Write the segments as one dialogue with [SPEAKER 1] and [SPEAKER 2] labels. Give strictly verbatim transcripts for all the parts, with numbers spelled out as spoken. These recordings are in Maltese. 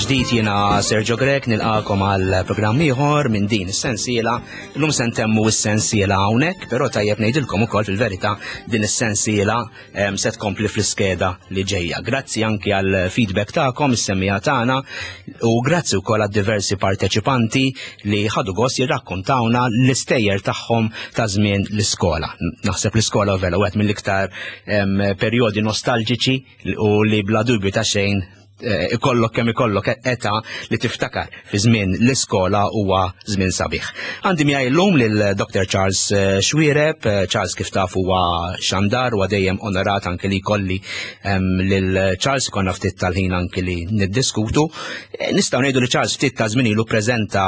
[SPEAKER 1] Mill-ġdid jiena Sergio Grech nilqagħkom għal programm ieħor minn din is-sensiela. Illum se ntemmu s-sensiela hawnhekk, però tajjeb ngħidilkom ukoll fil-verità din is-sensiela em, se tkompli fl-iskeda li ġejja. Grazzi anki għal feedback tagħkom, is-semmiegħa tagħna u grazzi wkoll għad diversi parteċipanti li ħadu gost jirrakkontawna l-istejjer tagħhom ta' żmien l-iskola. Naħseb l-iskola vera wieħed mill-iktar em, perjodi nostalġiċi u li bla dubju ta' xejn eh, ikollok kemm ikollok età li tiftakar fi żmien l-iskola huwa żmien sabiħ. Għandi miegħi llum lil Dr. Charles eh, Xuereb, Eh, Charles kif taf huwa xandar huwa dejjem onorat anke li jkolli em, lil Charles konna ftit tal-ħin anke li niddiskutu. Eh, Nistgħu ngħidu li Charles ftit ta' żmien ilu preżenta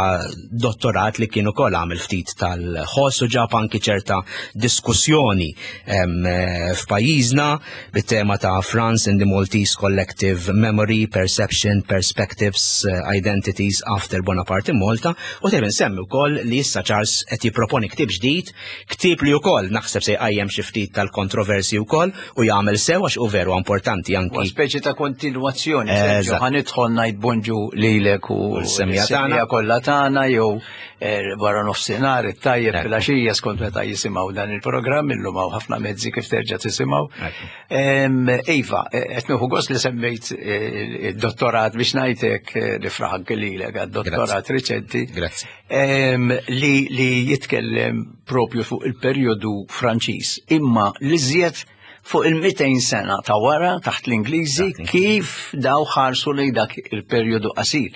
[SPEAKER 1] dottorat li kien ukoll għamel ftit tal-ħoss u ġab anki ċerta diskussjoni em, eh, f'pajjiżna bit-tema ta' France in the Maltese Collective Memory, Perception, Perspectives, eh, Identities After Bonaparte in Malta u tajjeb insemmi wkoll li issa Charles qed jipproponi ktieb ġdid, ktieb li wkoll naħseb se jqajjem xi ftit tal-kontroversi wkoll u jagħmel sew għax u veru importanti
[SPEAKER 2] U
[SPEAKER 1] anki
[SPEAKER 2] speċi ta' kontinuazzjoni, Sergio,
[SPEAKER 1] Eżatt.
[SPEAKER 2] ħa nidħol ngħid bonġu lilek u
[SPEAKER 1] l-semmiegħa tagħna.
[SPEAKER 2] l-semmiegħa kollha tagħna jew eh, wara nofsinhar it-tajjeb
[SPEAKER 1] Ekku.
[SPEAKER 2] filgħaxija skont meta jisimgħu dan il-programm illum hawn ħafna mezzi kif terġa' tisimgħu.
[SPEAKER 1] Ekku.
[SPEAKER 2] Em, Iva, eh, qed nieħu gost li semmejt eh, id-dottorat biex ngħidlek eh, nifraħ anke lilek għad-dottorat riċenti.
[SPEAKER 1] Grazzi.
[SPEAKER 2] Em, li, li jitkellem propju fuq il-perjodu Franċiż, imma l-iżjed fuq il-mitejn sena ta' wara taħt l-Ingliżi
[SPEAKER 1] Taħt l-Ingliżi.
[SPEAKER 2] kif daw ħarsu lejn dak il-perjodu qasir.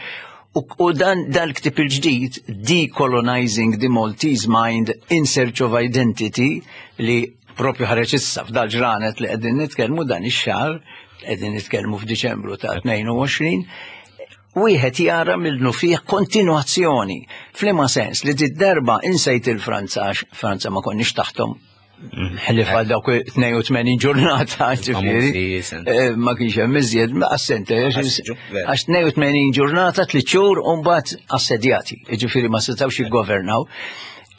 [SPEAKER 2] U, u dan dan il-ktib il-ġdid, Decolonizing the Maltese Mind in Search of Identity, li propju ħareġ issa f'dal ġranet li qegħdin nitkellmu dan ix-xahar, qegħdin nitkellmu f'Diċembru ta' tnejn u għoxrin, wieħed jara minnu fih kontinuazzjoni. F'liema sens li darba insejt il-Franza, għax Franza ma konniex taħtom ħlief għal dawk tnejn u tmenin ġurnata, ġifieri.
[SPEAKER 1] Famużi, sen.
[SPEAKER 2] Eh, Ma kienx hemm iżjed, ma assente, għax
[SPEAKER 1] Assiġu, vera.
[SPEAKER 2] għax tnejn u tmenin ġurnata, tliet xhur u mbagħad assedjati, ġifieri ma setgħux jiggovernaw.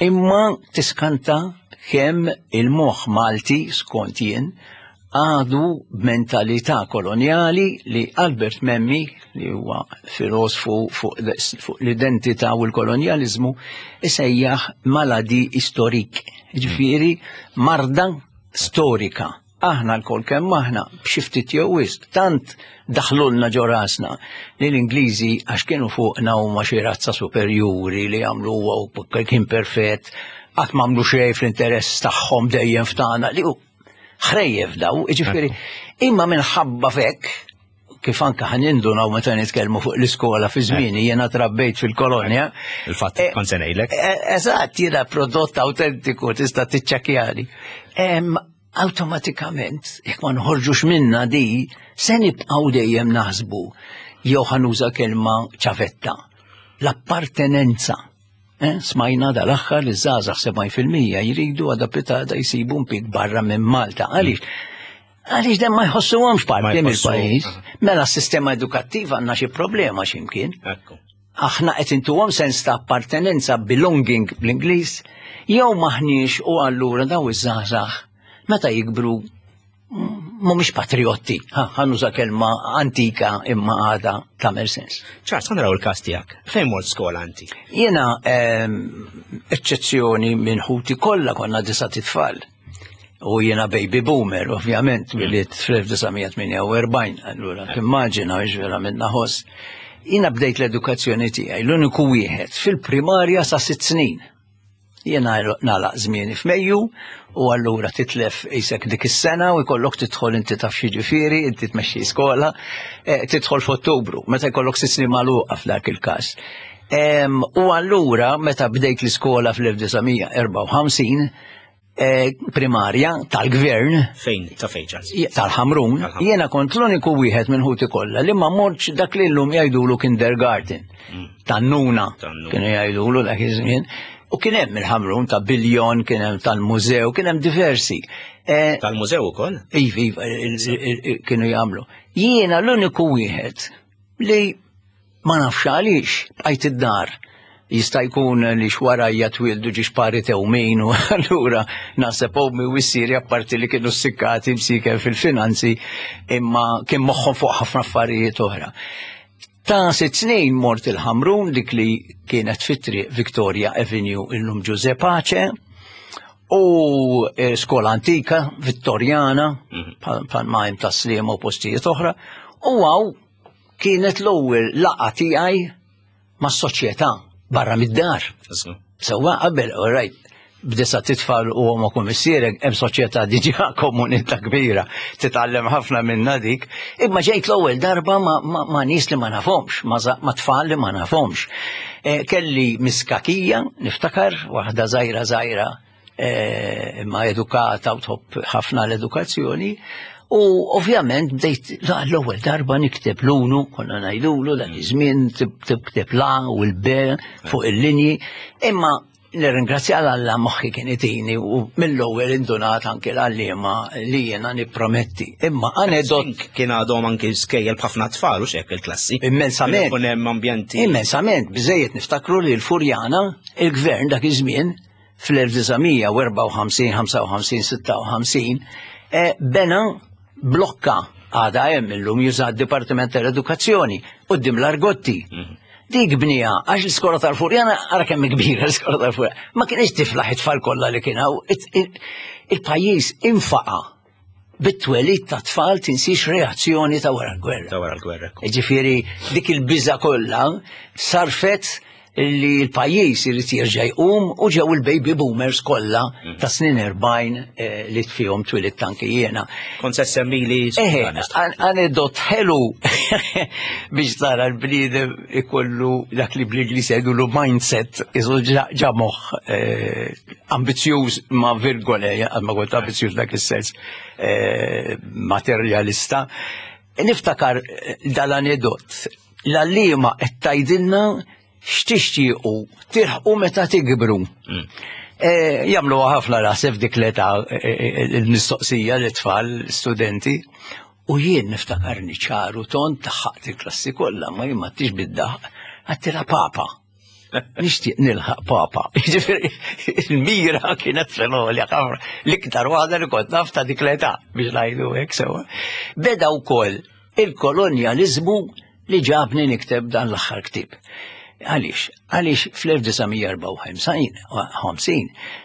[SPEAKER 2] Imma tiskanta kemm il-moħħ Malti skont jien għadu b'mentalità koloniali li Albert Memmi, li huwa filosfu fuq fuq l-identità u l-kolonializmu, isejjaħ maladie historique. Ġifieri marda storika. Aħna lkoll kemm aħna b'xi ftit jew wisq tant daħlulna ġo rasna li l-Ingliżi għax kienu fuqna huma xi razza superjuri li għamlu u kien perfett, qatt m'għamlu xejn fl-interess tagħhom dejjem ftana li hu ħrejjef daw, ġifieri, imma minħabba fek, kif anka ħa nindunaw meta nitkellmu fuq l-iskola fi żmieni, jiena trabbejt fil-kolonja.
[SPEAKER 1] Il-fatt
[SPEAKER 2] Eh,
[SPEAKER 1] kont se ngħidlek.
[SPEAKER 2] Eh, Eżatt, jiena prodott autentiku, tista' tiċċekkjani. Em, Automatikament, jekk ma nħorġux minna di, se nibqgħu dejjem naħsbu jew ħa nuża kelma ċavetta. L-appartenenza. Eh, smajna dal-aħħar li żgħażagħ sebgħin fil-mija jridu għada pitgħada jsibu impjieg barra minn Malta. Għaliex? Għaliex dem ma jħossuhomx
[SPEAKER 1] Ma
[SPEAKER 2] parti
[SPEAKER 1] jħossu-
[SPEAKER 2] mill-pajjiż. Mela s-sistema edukattiva għandna xi problema x'imkien.
[SPEAKER 1] Ekku.
[SPEAKER 2] Aħna qed intuhom sens ta' appartenenza, belonging bl-Ingliż, jew maħniex u allura daw iż-żgħażagħ meta jikbru mm, mhumiex patriotti. Ha, ħa nuża kelma antika imma għada tagħmel sens.
[SPEAKER 1] Charles, ħa naraw il-każ tiegħek. Fejn mort skola inti?
[SPEAKER 2] Jiena ehm, eċċezzjoni minn ħuti kollha, konna disat itfal. U jiena baby boomer, ovvjament, twelidt fl-elf disa' mija tmienja u erbgħin, allura timmaġina ġvera minna ħoss. Jiena bdejt l-edukazzjoni tiegħi l-uniku wieħed fil-primarja sa sitt snin. Jiena nagħlaq żmieni f'Mejju u allura titlef isek dik is-sena u jkollok tidħol, inti taf xi ġifieri, inti tmexxi skola, eh, tidħol f'Ottubru, meta jkollok sitt snin magħluqa f'dak il-każ. Em, U allura meta bdejt l-iskola fl-elf disa' mija erbgħa u ħamsin, eh, primarja tal-gvern,
[SPEAKER 1] Fejn, ta' fejn, Charles?
[SPEAKER 2] tal-Ħamrun,
[SPEAKER 1] Tal-Ħamrun.
[SPEAKER 2] jiena kont l-uniku wieħed minn ħuti kollha li ma mortx dak li llum jgħidulu kindergarten. Tan-nuna
[SPEAKER 1] Tan-nuna.
[SPEAKER 2] kienu jgħidulu dak iż-żmien. U kien hemm il-Ħamrun ta' Biljon, kien hemm tal-mużew, kien hemm diversi. Eh,
[SPEAKER 1] Tal-mużew ukoll?
[SPEAKER 2] Iva, iva, il- il- il- kienu jagħmlu. Jiena l-uniku wieħed li ma nafx għaliex bqajt id-dar. Jista' jkun li xwarajja twildu ġiex pari tewmin u allura naħseb ommi u missieri, apparti li kienu sikkati msiken fil-finanzi, imma kien moħħhom fuq ħafna affarijiet oħra. Ta' sitt snin mort il-Ħamrun, dik li kienet fit-triq Victoria Avenue, illum Ġużè Pace, u eh, skola antika, Vittorjana, bħal ma hemm Tas-Sliema u postijiet oħra, u għaw kienet l-ewwel laqgħa tiegħi mas-soċjetà barra mid-dar. Sewwa qabel, all right, b'disa' titfal u ommok u missierek, hemm soċjetà diġà, komunità kbira, titgħallem ħafna minna dik, imma ġejt l-ewwel darba ma, ma, ma nies li ma nafhomx, ma, za- ma tfal li ma nafhomx. E, kelli miskakija, niftakar, waħda żgħira żgħira, e, imma edukata u tħobb ħafna l-edukazzjoni, u ovvjament bdejt la- l-ewwel darba nikteb l-unu, konna ngħidulu dak iż-żmien tikteb l-A u l-B fuq il-linji, imma nirringrazzja Alla moħħi kien itini u mill-ewwel indunat anke l-għalliema li jiena nipprometti. Imma anedot
[SPEAKER 1] Kien għadhom anki skejjel b'ħafna tfal u xek il-klassi.
[SPEAKER 2] Immensament.
[SPEAKER 1] Kien hemm ambjenti.
[SPEAKER 2] Immensament, biżejjed niftakru li l-Furjana, il-gvern dak iż-żmien fl-elf disa' mija u erbgħa u ħamsin, ħamsa u ħamsin, sitta u ħamsin, eh, bena blokka għada hemm illum juża d-Dipartiment tal-Edukazzjoni quddiem l-Argotti. Dik bnija, għax l-iskola tal-Furjana, ara kemm kbira l-iskola tal-Furjana, ma kienx tiflaħ it-tfal kollha li kien hawn. It- il- Il-pajjiż infaqa bit-twelid ta' tfal, tinsix reazzjoni ta' wara l-gwerra.
[SPEAKER 1] Ta' wara l-gwerra.
[SPEAKER 2] Ġifieri, dik il-biża kollha sarfet li l-pajjiż irid jerġa' jqum u ġew il-baby boomers kollha ta' snin erbgħin eh, li fihom twilidt anki jiena.
[SPEAKER 1] Kont se semmili.
[SPEAKER 2] Eħe, an- anedot ħelu biex tara l-bniedem ikollu dak li bl-Ingliż jgħidulu mindset, iżu ġa moħħ eh, ambizzjuż ma' virgole, ma kont ambizzjuż dak is-sens, eh, materjalista. Niftakar eh, dal-anedot, l-għalliema qed tgħidilna x'tixtiequ tilħqu meta tikbru. Eh, Jagħmlu ħafna naħseb dik l-età eh, eh, il-mistoqsija l-tfal, studenti. U jien niftakarni ċaru tond daħħaqt il-klassi kollha, ma jien ma tix bid-daħq, għedtilha papa. Nixtieq nilħaq papa. Jiġifieri, il-mira kienet fenolja ħafna. L-iktar waħda li kont naf ta' dik l-età biex ngħidu hekk sewa. Beda wkoll il-kolonjalizmu li ġabni nikteb dan l-aħħar ktieb. Għaliex? Għaliex fl-elf disa' mija u erbgħa u ħamsin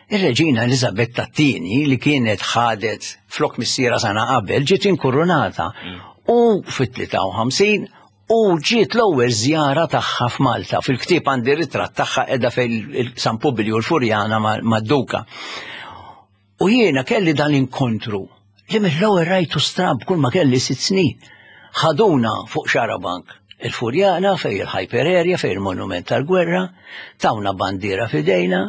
[SPEAKER 2] ir-reġina Elizabetta t-tieni li kienet ħadet flok missiera sena qabel ġiet inkurunata u fit-tlieta u ħamsin u ġiet l-ewwel żjara tagħha f'Malta. Fil-ktieb għandi ritratt tagħha qiegħda fejn San Publiju l-Furjana mad-Duka. U jiena kelli dan inkontru li mill-ewwel rajtu stramb kull ma kelli sitt snin. Ħaduna fuq xarabank il-Furjana fej il-Hyper Area, fej il-Monument tal-Gwerra, tawna bandiera fidejna,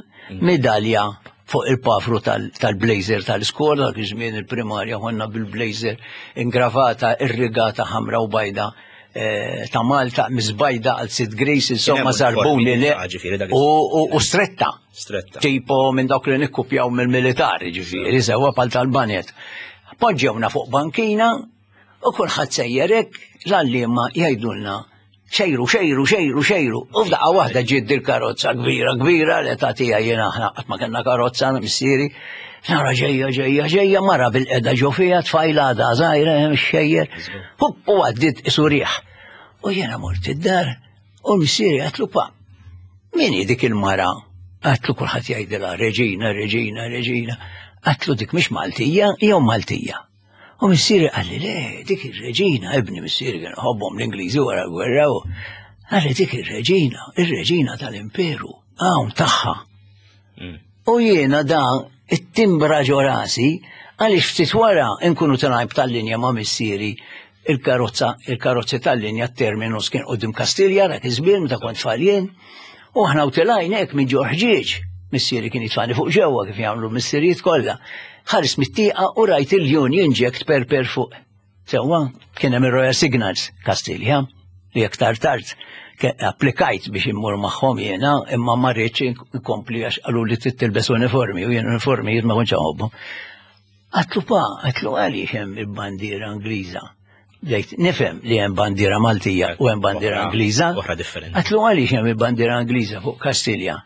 [SPEAKER 2] medalja fuq il-pafru tal-blazer tal-iskola, dak iż-żmien il-primarja konna bil-blazer ingravata, irrigata ħamra u bajda eh, ta' Malta, miżbajda għal Sid Grace, insomma zarbuni le u stretta.
[SPEAKER 1] Stretta.
[SPEAKER 2] Tipo minn dawk li nikkupjaw mill-militari, ġifieri, sewa pal tal-banet. Poġġewna fuq bankina u kulħadd sejjerek, l-għalliema jgħidulna xejru, xejru, xejru, xejru. U f'daqqa waħda ġiet dil-karozza kbira, kbira, l-età tiegħi jiena aħna qatt ma kellna karozza missieri. Nara ġejja, ġejja, ġejja, mara bil-qeda ġo fija, tfajla għadha żgħira, hemm xejjer. Hupp, u għaddit isurieħ. U jiena mort id-dar, u missieri għedtlu, "Pa, min hi dik il-mara?" Għedtlu kulħadd jgħidilha reġina, reġina, reġina. Għedtlu dik mhix Maltija, jew Maltija. U missieri qalli le, dik ir-reġina, ibni. Missieri kien ħobbhom l-Ingliżi wara l-gwerra u qalli dik ir-reġina, ir-reġina tal-imperu, hawn tagħha. U jiena da it-timbra ġo rasi għaliex ftit wara nkunu tilajn tal-linja ma' missieri, il-karozza, il-karozzi tal-linja, terminus kien quddiem Kastilja dak iż-żmien meta kont tfal jien. U aħna u tilajn hekk minn ġo ħġieġ. Missieri kien jitfani fuq ġewwa kif jagħmlu missirijiet kollha. Ħares mit-tieqa u rajt il-Union Jack tperper fuq. Sewwa, kien hemm ir-Royal Signals Kastilja li aktar tard applikajt biex immur magħhom jiena, imma ma rridx inkompli għax qalu li trid tilbes uniformi u jien uniformi ma kontx inħobbu. Għedtlu pa, għedtlu għaliex hemm il-bandiera Ingliża? Bdejt nifhem li hemm bandiera Maltija u hemm bandiera Ingliża.
[SPEAKER 1] Oħra differenti.
[SPEAKER 2] Għedtlu għaliex hemm il-bandiera Ingliża fuq Kastilja?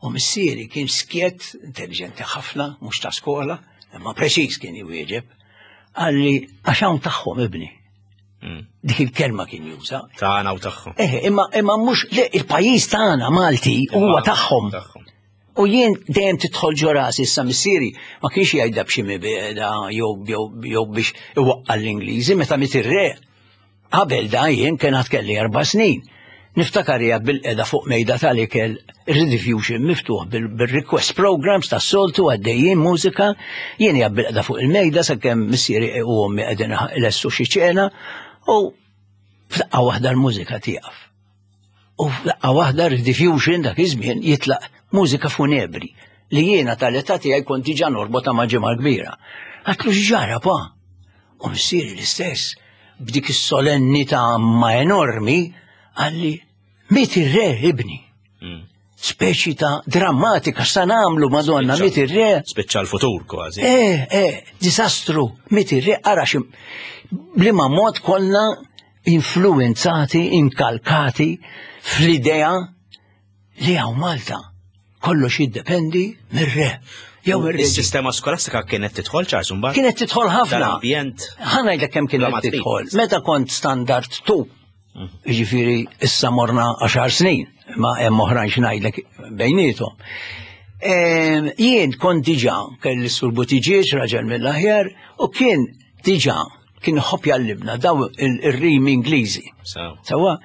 [SPEAKER 2] U missieri kien skjet, intelligenti ħafna, mhux ta' skola, imma preċiż kien jwieġeb. Qalli għax hawn tagħhom, ibni.
[SPEAKER 1] Mm.
[SPEAKER 2] Dik il-kelma kien juża.
[SPEAKER 1] Tagħna u tagħhom.
[SPEAKER 2] Eh, imma imma mhux le, il-pajjiż tagħna Malti huwa tagħhom.
[SPEAKER 1] Tagħhom.
[SPEAKER 2] U jien dejjem tidħol ġo rasi, issa missieri ma kienx jgħidha b'xi mibegħda jew jew jew biex iwaqqa l-Ingliżi meta miet ir-re. Qabel da jien kien għad kelli erba' snin. Niftakar hija bilqiegħda fuq mejda tal-ikel, Rediffusion miftuħ bil-request programs tas-soltu għaddejjin mużika, jien hija bilqiegħda fuq il-mejda sakemm missieri u ommi qegħdin ilessu xi ċena u f'daqqa waħda l-mużika tieqaf. U f'daqqa waħda Rediffusion dak iż-żmien jitlaq mużika funebri li jiena tal-età tiegħi kont diġà norbota ma' Ġimgħa Kbira. Għedtlu, "X'ġara, pa?" U missieri l-istess, b'dik is-solennità ma enormi, qalli, "Miet ir-re, ibni."
[SPEAKER 1] Mm.
[SPEAKER 2] Speċi ta' drammatika, sa nagħmlu, Madonna, miet ir-re.
[SPEAKER 1] Spiċċa l-futur kważi.
[SPEAKER 2] Eh, eh, disastru, miet ir-re, ara xim. B'liema mod konna influenzati, inkalkati fl-idea li hawn Malta kollox jiddependi mir-re. Jew mir-re.
[SPEAKER 1] Is-sistema skolastika kienet tidħol, Charles, mbagħad?
[SPEAKER 2] Kienet tidħol ħafna.
[SPEAKER 1] Dal-ambjent.
[SPEAKER 2] Ħa ngħidlek kemm kienet
[SPEAKER 1] Bla ma trid.
[SPEAKER 2] tidħol. Meta kont standard two, jiġifieri issa morna għaxar snin, ma hemm oħrajn x'ngħidlek bejniethom. Em, Jien kont diġà kelli Sur Buttigieg, raġel mill-aħjar, u kien diġà kien iħobb jgħallimna daw il-rimi Ingliżi.
[SPEAKER 1] Sew.
[SPEAKER 2] Sewa,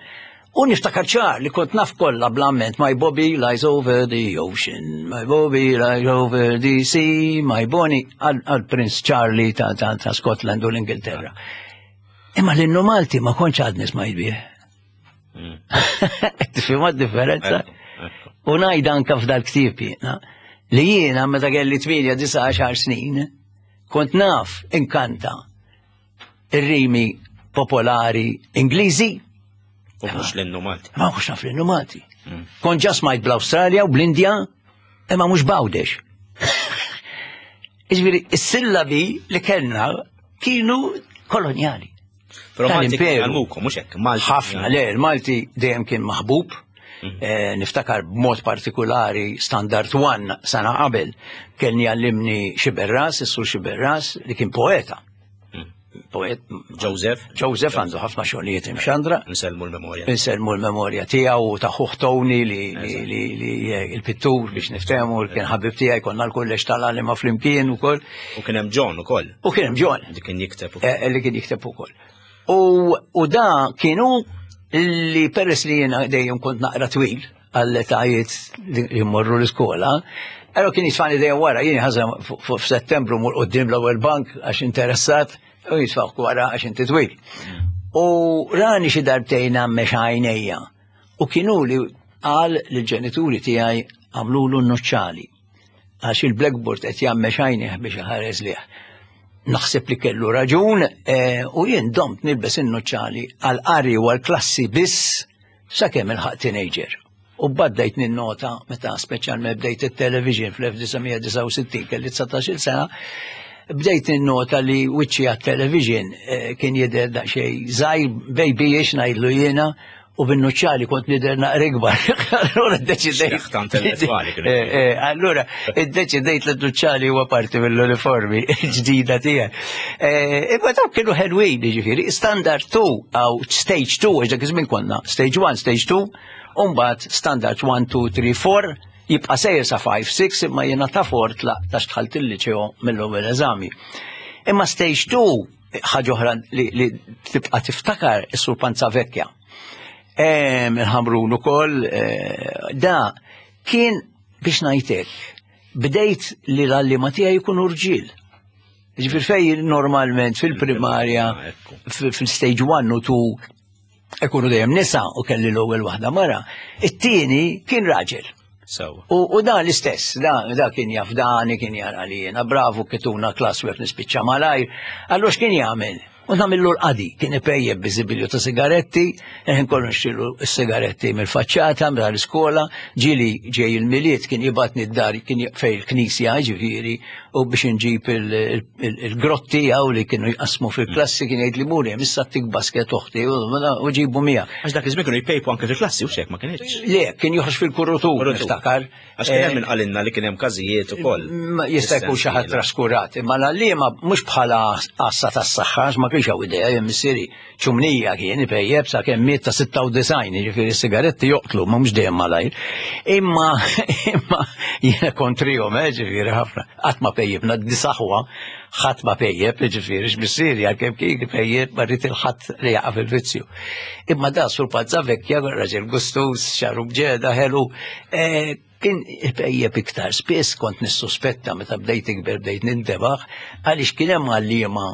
[SPEAKER 2] u niftakar ċar li kont naf kollha bl-amment: "My Bobby lies over the ocean, my Bobby lies over the sea, my Bonnie", għal Prince Charlie ta', ta, ta' Scotland u l-Ingilterra. Imma l-innu Malti ma kontx għadni smajt bih.
[SPEAKER 1] Mm.
[SPEAKER 2] Tifhimha differenza?
[SPEAKER 1] Ekku, ekku.
[SPEAKER 2] U ngħid anka f'dal-ktieb jiena, li jiena meta kelli tmienja, disa', għaxar snin, kont naf inkanta ir-rimi popolari Ingliżi,
[SPEAKER 1] U mhux l-innu Malti.
[SPEAKER 2] ma mhux naf l-innu Malti. Kont ġa smajt bl-Awstralja u bl-Indja, imma mhux b'Għawdex. Iġifieri, is-sillabi li kellna kienu koloniali.
[SPEAKER 1] Però Malti
[SPEAKER 2] Tal-imperu.
[SPEAKER 1] għallmukom, mhux hekk? Malti.
[SPEAKER 2] Ħafna, le, il-Malti dejjem kien maħbub. Eh, niftakar b'mod partikolari Standard One, sena qabel, kien jgħallimni Xiberras, is-sur Xiberras, li kien poeta. Poet,
[SPEAKER 1] Joseph.
[SPEAKER 2] Joseph għandu ħafna xogħlijiet imxandra.
[SPEAKER 1] Nsellmu l-memorja.
[SPEAKER 2] Insellmu l-memorja tiegħu u ta' ħuh Tony li, li, li, li il-pittur biex niftehmu, li kien ħabib tiegħi, konna l-kulleġġ tal-għalliema flimkien ukoll.
[SPEAKER 1] U kien hemm John ukoll.
[SPEAKER 2] U kien hemm John.
[SPEAKER 1] Li kien jikteb ukoll.
[SPEAKER 2] eh, li kien jikteb ukoll. U, u da kienu li peress li jiena dejjem kont naqra twil għall-etajiet li jmorru l-iskola, allora kien jitfani dejjem wara, jien ħaża f'Settembru mur quddiem l-ewwel bank għax interessat u jitfawk wara għax inti twil. U rani xi darbtejn għammex għajnejja. U kienu li qal lill-ġenituri tiegħi, "Għamlulu n-nuċċali għax il-blackboard qed jgħammex għajnejh biex iħares lih." Naħseb li kellu raġun eh, u jien domt nilbes in-nuċċali għal-qari u għal-klassi biss sakemm ilħaqt teenager. U bdejt ninnota meta speċjalment bdejt it-television fl-elf disa' mija disgħa u sittin, kelli dsatax-il sena, bdejt ninnota li wiċċi għat-television eh, kien jidher daqsxejn żgħir, babyish ngħidlu jiena, u bin-nuċċali kont nidher naqra ikbar. Allura ddeċidejt.
[SPEAKER 1] Xeħta intellettwali kien.
[SPEAKER 2] Eh, eh, Allura iddeċidejt li n-nuċċali huwa parti mill-uniformi ġdida tiegħi. Eh, Imma dawk kienu ħelwin, ġifieri, standard two aw stage two, għax dak iż-żmien konna stage one, stage two, u mbagħad standard one, two, three, four, jibqa' sejjer sa five, six, imma jiena ta' four tlaqt għax dħalt il-liċeo mill-ewwel eżami. Imma stage two, ħaġa oħra li, li tibqa' tiftakar, is-Sur Panzavecchia. Em, Il-Ħamrun ukoll, eh, da kien biex ngħidlek, bdejt li l-għalliema tiegħi jkunu rġiel. Ġifieri fej normalment fil-primarja,
[SPEAKER 1] Ah, ekku.
[SPEAKER 2] fil-stage one u two ikunu dejjem nisa u kelli l-ewwel waħda mara. It-tieni kien raġel.
[SPEAKER 1] Sewa.
[SPEAKER 2] U, u da l-istess, da, da kien jafdani, kien jara li jena bravu, kituna classwork nispiċċa malajr. Allora x'kien jagħmel? U nagħmillu l-qadi, kien ipejjeb biżibilju ta' sigaretti, kien kollu nxtilu s-sigaretti mill-faċċata, mill-iskola, ġieli ġej il-Milied kien jibgħatni d-dar, kien fej il-knisja, ġifieri, u biex nġib il-grotti għaw li kienu jqasmu fil-klassi, kien jgħid li muri, issa tik basket uħti u ġibu mija.
[SPEAKER 1] Għax dak iż-żmien kienu jpejpu anke fil-klassi u xek ma kienx.
[SPEAKER 2] Le, kien joħroġ fil-kurutur, niftakar.
[SPEAKER 1] Għax kien hemm min qalinna li kien hemm każijiet ukoll.
[SPEAKER 2] Jista' jkun xi ħadd traskurat, imma l-għalliema mhux bħala għassa tas-saħħa, ma kienx hawn idea, jien missieri ċumnija kien ipejjeb sa kemm miet ta' sitta u disgħin, jiġifieri s-sigaretti joqtlu, ma mhux dejjem malajr. Imma imma jiena kontrihom, eh, ġifieri ħafna. Qatt ma pejjibna disaħwa, ħadd ma pejjeb, ġifieri x'missieri għalkemm kien pejjeb ma rrid il-ħadd li jaqa' fil-vizzju. Imma da sur Pazza Vecchia, raġel gustus, xaru bġeda, ħelu, kien ipejjeb iktar. Spiss kont nissuspetta meta bdejt ikber bdejt nintebaħ għaliex kien hemm għalliema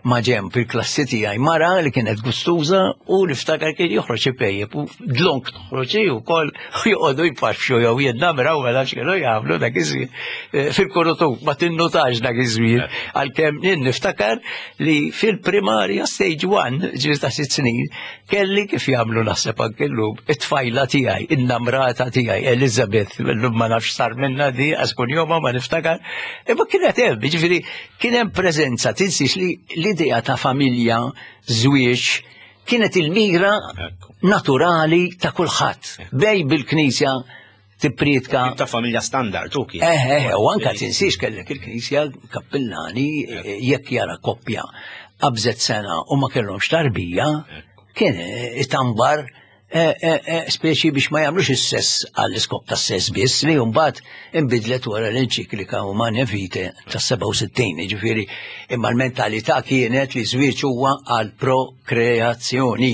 [SPEAKER 2] ma ġemp fil-klassi tiegħi mara li kienet gustuża u niftakar kien joħroġ ipejjeb u dlonk toħroġ ukoll u joqogħdu jpaxxu jew jinnamraw mela x'kienu jagħmlu dak iż-żmien fil-kurutur ma tinnutax dak iż-żmien għalkemm jien niftakar li fil-primarja stage one ġifieri ta' sitt snin kelli kif jagħmlu naħseb anke llum it-tfajla tiegħi in-namrata tiegħi Elizabeth illum ma nafx sar minnha di għax kuljum ma niftakar imma kienet hemm jiġifieri kien hemm preżenza tinsiex li l-idea ta' familja, żwieġ, kienet il-mira naturali ta' kulħadd. Bej bil-Knisja tippriedka.
[SPEAKER 1] Ta' familja standard, u kien.
[SPEAKER 2] Eh, eh, u anka tinsiex kellek il-Knisja kappillani jekk jara koppja qabżet sena u ma kellhomx tarbija, kien itambar speċi biex ma jagħmlux is-sess għall-iskop tas-sess biss li mbagħad inbidlet wara l-enċiklika Humanae Vitae tas-sebgħa u sittin, jiġifieri imma l-mentalità kienet li żwieġ huwa għal prokreazzjoni.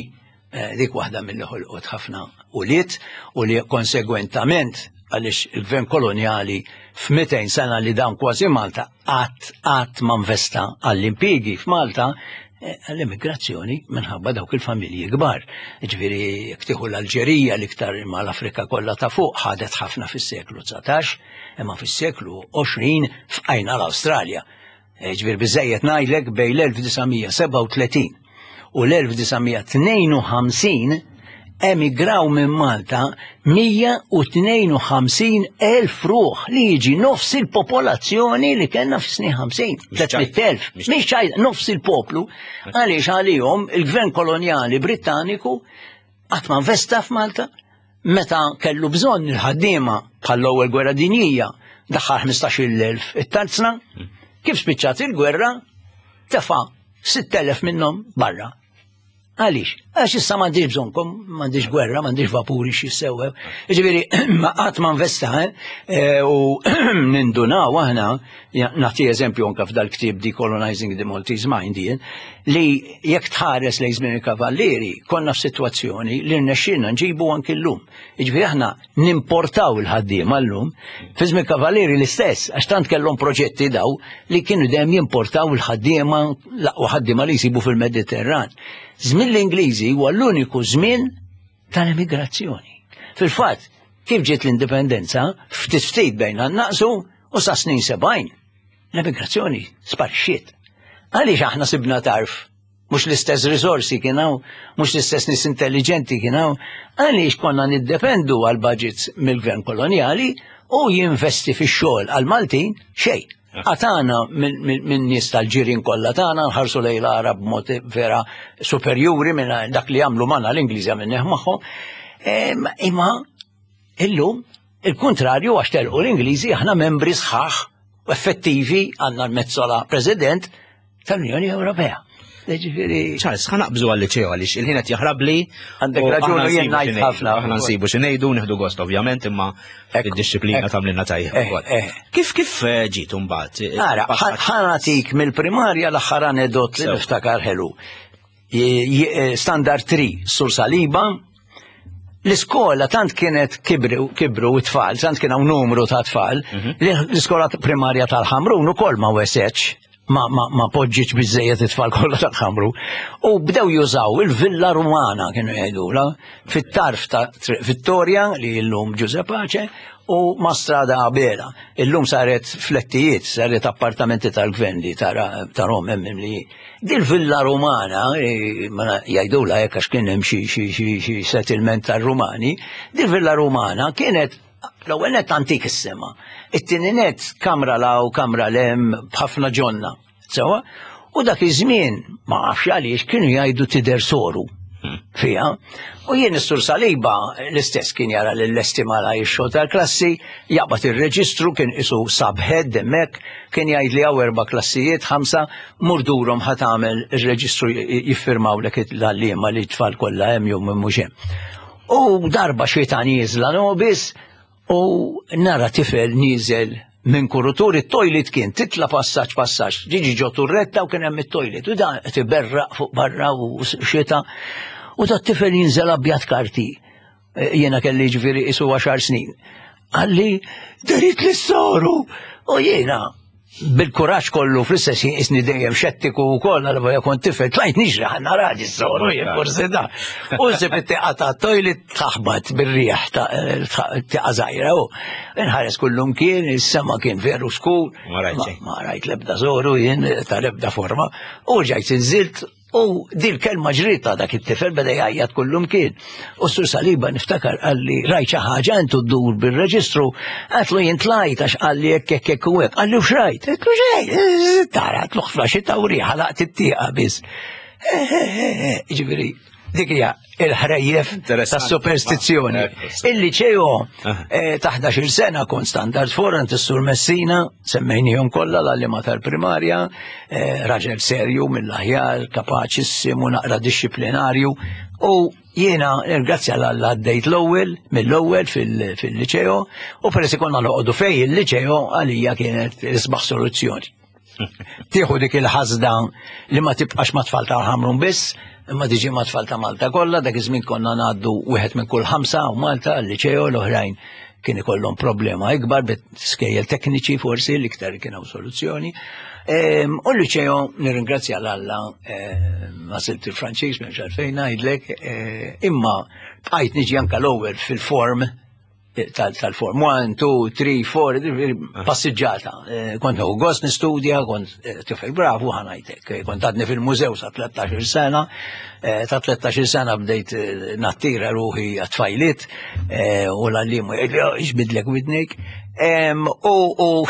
[SPEAKER 2] Dik waħda mill-li ħolqot ħafna ulied u li konsegwentament għaliex il-gvern kolonjali f'mitejn sena li dan kważi Malta qatt qatt ma investa għall-impjiegi f'Malta għall-immigrazzjoni minħabba dawk il-familji kbar. Ġifieri jekk tieħu l-Alġerija l-iktar imma l-Afrika kollha ta' fuq ħadet ħafna fis-seklu dsatax, imma fis-seklu għoxrin fqajna l-Awstralja. Ġifieri biżejjed ngħidlek bejn l-elf disa' mija sebgħa u tletin u l-elf disa' mija tnejn u ħamsin emigraw minn Malta mija u tnejn u ħamsin elf ruħ li jiġi nofs il-popolazzjoni li kellna fis-snin ħamsin.
[SPEAKER 1] Mhix ċajt.
[SPEAKER 2] Tliet elf.
[SPEAKER 1] Mhix
[SPEAKER 2] Mhix ċajt, nofs il-poplu. Għaliex għalihom il-gvern kolonjali Brittaniku qatt ma investa f'Malta meta kellu bżonn il-ħaddiema bħall-ewwel gwerra dinjija daħħal ħmistax-il elf it-tarzna, kif spiċċat il-gwerra tefa' sitt elef minnhom barra. Għaliex? Għax issa m'għandix bżonnkom, m'għandix gwerra, m'għandix vapuri xi sewwew. Jiġifieri, ma qatt ma investa, eh? Eh, u nindunaw aħna, ja, nagħti eżempju anke f'dal-ktieb Decolonizing the Maltese Mind jien, li jekk tħares lejn żmien il-Kavallieri, konna f'sitwazzjoni li rnexxielna nġibu anke llum. Jiġifieri aħna nimportaw il-ħaddiema llum, fi żmien il-Kavallieri l-istess, għax tant kellhom proġetti daw li kienu dejjem jimportaw il-ħaddiema, l-aqwa ħaddiema li jsibu fil-Mediterran. Żmien l-Ingliżi huwa l-uniku żmien tal-emigrazzjoni. Fil-fatt, kif ġiet l-indipendenza, ftit ftit bejna naqsu u sa snin sebgħin. L-emigrazzjoni sparixxiet. Għaliex aħna sibna tarf? Mhux l-istess risorsi kien hawn, mhux l-istess nies intelligenti kien hawn, għaliex konna niddependu għal budgets mill-gvern kolonjali u jinvesti fix-xogħol għal Maltin xejn. Għatana minn, minn, minn nies tal-ġirien kollha tagħna nħarsu lejn l-Arab b'mod vera superjuri minn dak li jagħmlu magħna l-Ingliżi għamilnieh magħhom. Em, imma illum il-kontrarju għax telqu l-Ingliżi aħna membri sħaħ u effettivi għandna l-Metsola President tal-Unjoni Ewropea. Ġifieri
[SPEAKER 1] Charles, ħa naqbżu għal-liċeo għaliex il-ħin qed jaħrabli.
[SPEAKER 2] Għandek
[SPEAKER 1] u
[SPEAKER 2] raġun
[SPEAKER 1] aħna
[SPEAKER 2] u jien
[SPEAKER 1] nsibu
[SPEAKER 2] ngħid
[SPEAKER 1] xi ngħidu.
[SPEAKER 2] ħafna.
[SPEAKER 1] Aħna nsibu xi ngħidu, nieħdu gost ovvjament, imma
[SPEAKER 2] Ekku,
[SPEAKER 1] id-disciplina
[SPEAKER 2] ekku.
[SPEAKER 1] tagħmlilna tajjeb
[SPEAKER 2] Eh,
[SPEAKER 1] ukoll.
[SPEAKER 2] eh.
[SPEAKER 1] Kif, kif, eh, ġiet imbagħad?
[SPEAKER 2] Ara,
[SPEAKER 1] Passat-
[SPEAKER 2] ħa nagħtik mill-primarja l-aħħar anedot li
[SPEAKER 1] Sew.
[SPEAKER 2] niftakar ħelu. Je-, je-, eh, Standard three, Sur Saliba, l-iskola tant kienet kibru, kibru t-tfal, tant kien hawn numru ta' tfal,
[SPEAKER 1] Mhm.
[SPEAKER 2] li l-iskola primarja tal-Ħamrun ukoll ma wesetx, ma, ma, ma poġġiċ biżejjed it-tfal kollha tal-Ħamrun. U bdew jużaw il-Villa Rumana kienu jgħidula, fit-tarf ta' Triq Vittoria li llum Giuseppe Pace u ma' Strada Abela. Illum saret flettijiet, saret appartamenti tal-gvern li tara tarhom hemm li dil-Villa Rumana, eh, ma na-, jgħidula hekk għax kien hemm xi, xi, xi, xi settlement tar-Rumani, dil-Villa Rumana kienet L-ewwel net antik is-sema. It-tieni net kamra 'l hawn, kamra 'l hemm, b'ħafna ġonna. Sewa? U dak iż-żmien ma nafx għaliex kienu jgħidu tidher soru fiha. U jien is-Sur Saliba l-istess kien jara l-lesti mala ix-xogħol tal-klassi, jaqbad ir-reġistru, kien isu subhead hemmhekk, kien jgħid li hawn erba' klassijiet, ħamsa, mur durhom, ħa tagħmel ir-reġistru, jiffirmawlek l-għalliema li tfal kollha hemm jew mhux hemm. U darba xita nieżla nobis u nara tifel nieżel minn kurutur. It-toilet kien titla passaġġ passaġġ, ġiġi ġo turretta u kien hemm it-toilet u da tiberraq fuq barra u xita u da tifel jinżel abjad karti. E, jiena kelli ġifieri isu għaxar snin. Qalli, "Dehritli s-soru." U jiena bil-kuraġġ kollu, fl-istess ħin isni dejjem xettiku u koll, għal kont tifel, tlajt niġri ħa nara s-soru, jien forsi da. U nsib it-tieqa ta' toilet taħbat bir-riħ, ta' tieqa żgħira u nħares kullum kien, is-sema kien veru skur.
[SPEAKER 1] Ma rajt xejn.
[SPEAKER 2] Ma rajt lebda soru jien ta' lebda forma. U ġajt inżilt u dil kelma ġrita dak it-tifel beda jgħajjat kullum kien. U Sur Saliba niftakar qalli, "Rajt xi ħaġa intu ddur bil-reġistru?" Għedtlu, "Jien tlajt għax qalli hekk hekk hekk u hekk." Qalli, "U x'rajt?" Għedtlu, "Xejn, tara," għedtlu, "ħafna xita u riħa laqt it-tieqa biss." Ġifieri, dik hija il-ħrejjef
[SPEAKER 1] Interessanti.
[SPEAKER 2] ta' superstizzjoni.
[SPEAKER 1] Ekku.
[SPEAKER 2] Il-liċeo
[SPEAKER 1] Aha.
[SPEAKER 2] eh, ta' ħdax-il sena kont standard four għand is-Sur Messina, semmejnihom kollha l-għalliema tal-primarja, eh, raġel serju mill-aħjar, kapaċissimu, naqra dixxiplinarju, u jiena ringrazzja l-Alla għaddejt l-ewwel mill-ewwel fil- fil-liċeo u peress konna noqogħdu fej il-liċeo, għalija kienet l-isbaħ soluzzjoni. Tieħu dik il-ħasda li ma tibqax ma tfal tal-Ħamrun biss, imma tiġi ma tfal ta' Malta kollha. Dak iż-żmien konna ngħaddu wieħed minn kull ħamsa u Malta l-liċeo, l-oħrajn kien ikollhom problema ikbar bit skejjel tekniċi forsi l-iktar kien hawn soluzzjoni. Ehm, U l-liċeo nirringrazzja l-Alla għażilt il-Franċiż, m'hemmx għalfejn ngħidlek, eh, imma bqajt niġi anka l-ewwel fil-form tal- tal-form one, two, three, four, passiġġata. Eh, Kont nieħu gost nistudja, kont eh, tifel bravu, ħa ngħidlek. Eh, Kont għadni fil-mużew sa tlettax-il sena, eh, ta' tlettax-il sena bdejt eh, nattira ruħi għat-tfajliet eh, u l-għallim iġbidlek widnejk. Em, U u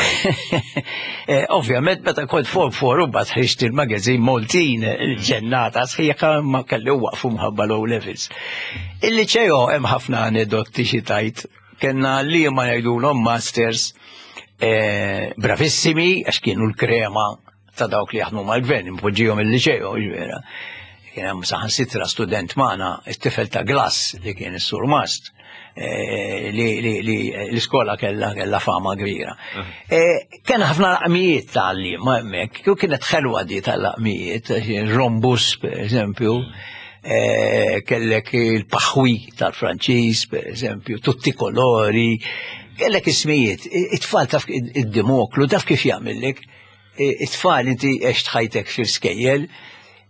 [SPEAKER 2] eh, ovvjament meta kont form four u mbagħad ħriġt il-magazine Maltin, il-ġennata sħiħa, ma kelli waqfu mħabba l-O levels. Il-liċeo hemm ħafna anedotti xi tgħid. Kellna li ma jgħidulhom masters eh, bravissimi għax kienu l-krema ta' dawk li jaħdmu mal-gvern, impoġġihom il-liċeo, ġvera. Kien hemm saħansitra student magħna, it-tifel ta' Glass li kien is-surmast, eh, li, li, li l-iskola kella kella fama kbira. Eh, Kien ħafna laqmijiet tal-li ma hemmhekk, u kienet ħelwa di tal-laqmijiet, rombus per eżempju, eh, kellek il-paħwi tal-Franċiż, per eżempju, tutti colori, kellek ismijiet, it-tfal taf id-dimoklu, taf kif jagħmellek, it-tfal inti għext ħajtek fil-skejjel,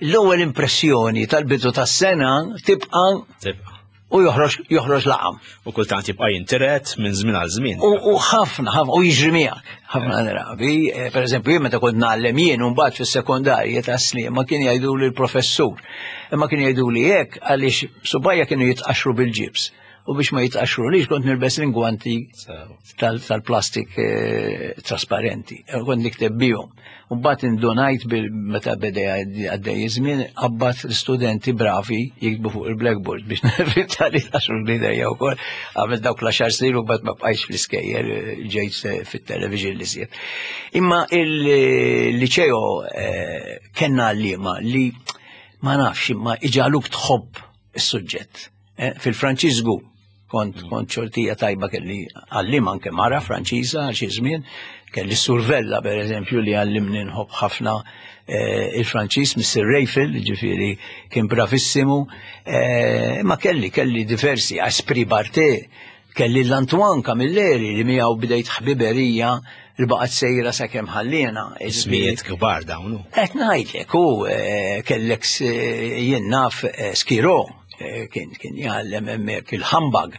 [SPEAKER 2] l-ewwel impressjoni tal-bidu tas-sena tibqa'
[SPEAKER 1] Tibqa.
[SPEAKER 2] u joħroġ joħroġ laqam.
[SPEAKER 1] U kultant jibqa' jintiret minn żmien għal żmien.
[SPEAKER 2] U u ħafna, ħafna, u jiġri miegħek, ħafna drabi. Eh, Per eżempju, jien meta kont ngħallem jien u mbagħad fis-sekondarja ta' Sliema kien jgħidu li l-professur. Imma kien jgħidu li hekk għaliex subgħajja kienu jitqaxru bil-ġibs. U biex ma jitqaxru lix kont nilbes l-ingwanti tal- tal-plastik eh, trasparenti. Eh, Kont nikteb bihom. U mbagħad indunajt bil meta beda għaddej iż-żmien qabbat l-studenti bravi jiktbu fuq il-blackboard biex nevita li tqaxru l-idejja wkoll. Għamil dawk l-għaxar snin u mbagħad ma bqajtx fl-iskejjel, eh, ġejt eh, fit-television li siet. Imma il-liċeo eh, kellna għalliema li ma nafx imma iġagħluk tħobb is-suġġett. Eh, Fil-Franċiż kont kont xortija tajba, kelli għallim anke mara Franċiża għal xi żmien, kelli Survella per eżempju li għallimni nħobb ħafna eh, il-Franċiż, Mister Rayfel, ġifieri kien bravissimu, eh, ma kelli kelli diversi, Aspri Barte, kelli l-Antoine Camilleri li miegħu bdejt ħbiberija li baqgħet sejra sakemm ħallina.
[SPEAKER 1] Ismijiet kbar dawn.
[SPEAKER 2] Qed ngħidlek u eh, kellek s- jien naf eh, Skiro eh, kien kien jgħallem hemmhekk il-humbug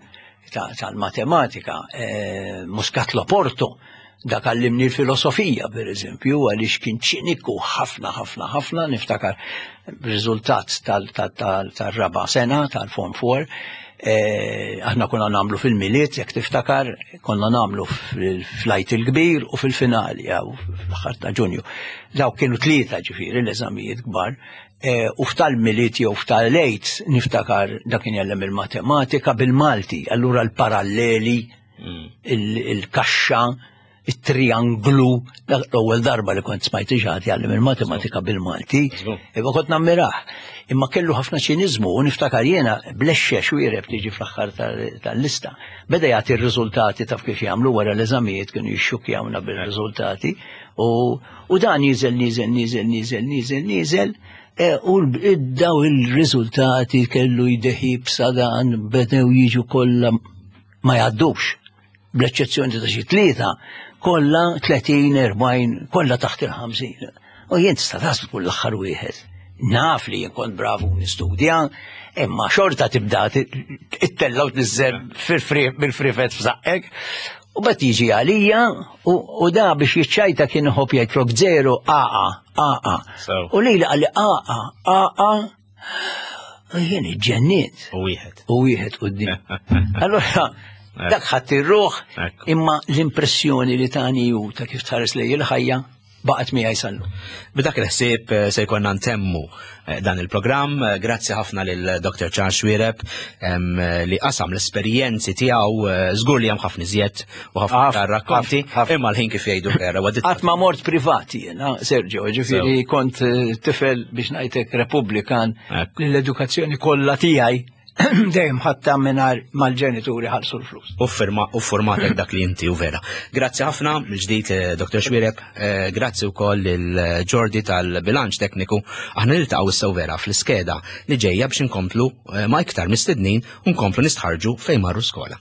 [SPEAKER 2] ta- tal-matematika, eh, Muscat Loporto, dak għallimni l-filosofija per eżempju, għaliex kien ċiniku ħafna ħafna ħafna, niftakar riżultat tal-raba sena tal-Form four, Eh, aħna konna nagħmlu fil-Milied, jekk tiftakar, konna nagħmlu fl-Għid il-Kbir u fil-finali, jew fl-aħħar ta' Ġunju. Dawk kienu tlieta, ġifieri, l-eżamijiet kbar. Eh, u f'tal-Milied jew f'tal-Għid niftakar dak kien jgħallem il-matematika bil-Malti, allura l-paralleli, mm. il-kaxxa, il-trianglu, l-ewwel darba li kont smajt xi ħadd jgħallem il-matematika bil-Malti, imma kont nammirah. Imma kellu ħafna ċiniżmu u niftakar jiena blexxe Xuereb tiġi fl-aħħar tal-lista. Beda jagħti r-riżultati, taf kif jagħmlu wara l-eżamijiet, kienu jixxukjawna bil-riżultati u dan niżel, niżel, niżel, niżel, niżel, niżel e, u daw il-riżultati kellu jdeħib sadan bedew jiġu kollha ma jgħaddux, bl-eċċezzjoni ta' xi tlieta, kollha tletin, erbgħin, kollha taħt il-ħamsin. U jien tista' taħseb kull l-aħħar wieħed. Naf li jien kont bravu nistudja, imma xorta tibda ittella u tniżżel bil-frifet f'żaqqek. U bat jiġi għalija u da biex jiċċajta kien iħobb jgħid flok zero A A, A A. U li qalli A A, A A, jien iġġennit.
[SPEAKER 1] U wieħed.
[SPEAKER 2] U wieħed quddiem. Allora, dak ħadd ir-ruħ, imma l-impressjoni li tani ju ta' kif tħares lejn il-ħajja baqgħet miegħi sal-lum.
[SPEAKER 1] B'dak il-ħsieb eh, se jkollna ntemmu eh, dan il-programm. Eh, grazzi ħafna lil Doctor Charles Xuereb li qasam l-esperjenzi tiegħu, żgur li hemm ħafna iżjed u ħafna rakkonti, imma l-ħin, kif jgħidu, vera.
[SPEAKER 2] Qatt ma mort privati jiena, Sergio, ġifieri kont tifel, biex ngħidlek, Repubblikan, l-edukazzjoni kollha tiegħi dejjem ħatta mingħajr mal-ġenituri ħallsu l-flus.
[SPEAKER 1] U firma u formatek dak li inti u vera. Grazzi ħafna mill-ġdid, eh, Doctor Xuereb, eh, grazzi wkoll lil Jordi tal-bilanċ tekniku. Aħna niltaqgħu issa vera fl-iskeda li ġejja biex inkomplu eh, ma' iktar mistednin u nkomplu nistħarġu fejn marru skola.